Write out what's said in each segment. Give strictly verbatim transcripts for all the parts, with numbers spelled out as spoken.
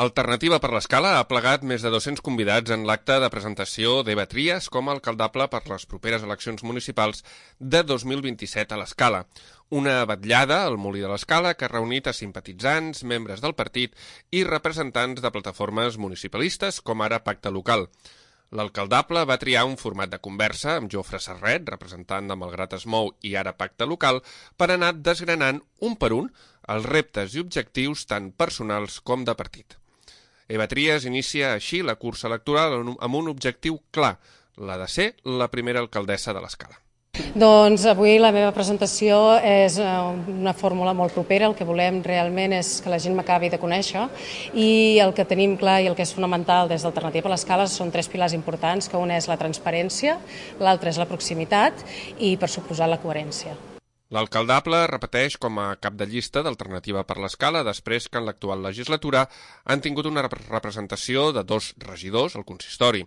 Alternativa per l'Escala ha plegat més de dos-cents convidats en l'acte de presentació d'Eva Trias com a alcaldable per les properes eleccions municipals de dos mil vint-i-set a l'Escala. Una vetllada al Molí de l'Escala que ha reunit a simpatitzants, membres del partit i representants de plataformes municipalistes com ara Pacte Local. L'alcaldable va triar un format de conversa amb Jofre Serret, representant de Malgrat es mou i ara Pacte Local, per anar desgranant un per un els reptes i objectius tant personals com de partit. Eva Trias inicia així la cursa electoral amb un objectiu clar, la de ser la primera alcaldessa de l'Escala. Doncs avui la meva presentació és una fórmula molt propera. El que volem realment és que la gent m'acabi de conèixer i el que tenim clar i el que és fonamental des d'Alternativa per l'Escala són tres pilars importants, que un és la transparència, l'altre és la proximitat i, per suposar, la coherència. L'alcaldable repeteix com a cap de llista d'Alternativa per l'Escala després que en l'actual legislatura han tingut una representació de dos regidors al consistori.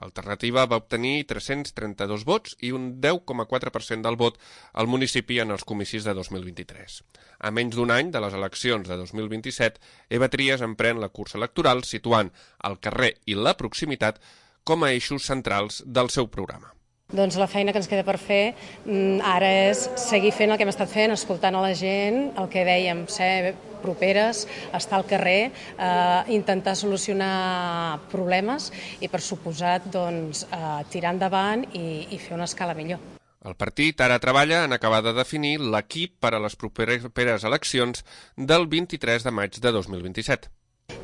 Alternativa va obtenir tres-cents trenta-dos vots i un deu coma quatre per cent del vot al municipi en els comicis de dos mil vint-i-tres. A menys d'un any de les eleccions de dos mil vint-i-set, Eva Trias emprèn la cursa electoral situant el carrer i la proximitat com a eixos centrals del seu programa. Doncs la feina que ens queda per fer ara és seguir fent el que hem estat fent, escoltant a la gent, el que dèiem, ser properes, estar al carrer, eh, intentar solucionar problemes i, per suposat, doncs, eh, tirar endavant i, i fer una escala millor. El partit ara treballa en acabar de definir l'equip per a les properes eleccions del vint-i-tres de maig de dos mil vint-i-set.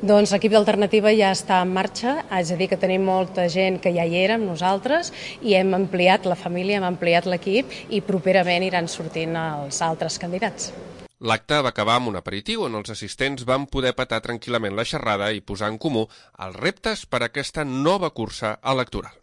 Doncs l'equip d'Alternativa ja està en marxa, és a dir que tenim molta gent que ja hi era amb nosaltres i hem ampliat la família, hem ampliat l'equip i properament iran sortint els altres candidats. L'acte va acabar amb un aperitiu on els assistents van poder petar tranquil·lament la xerrada i posar en comú els reptes per a aquesta nova cursa electoral.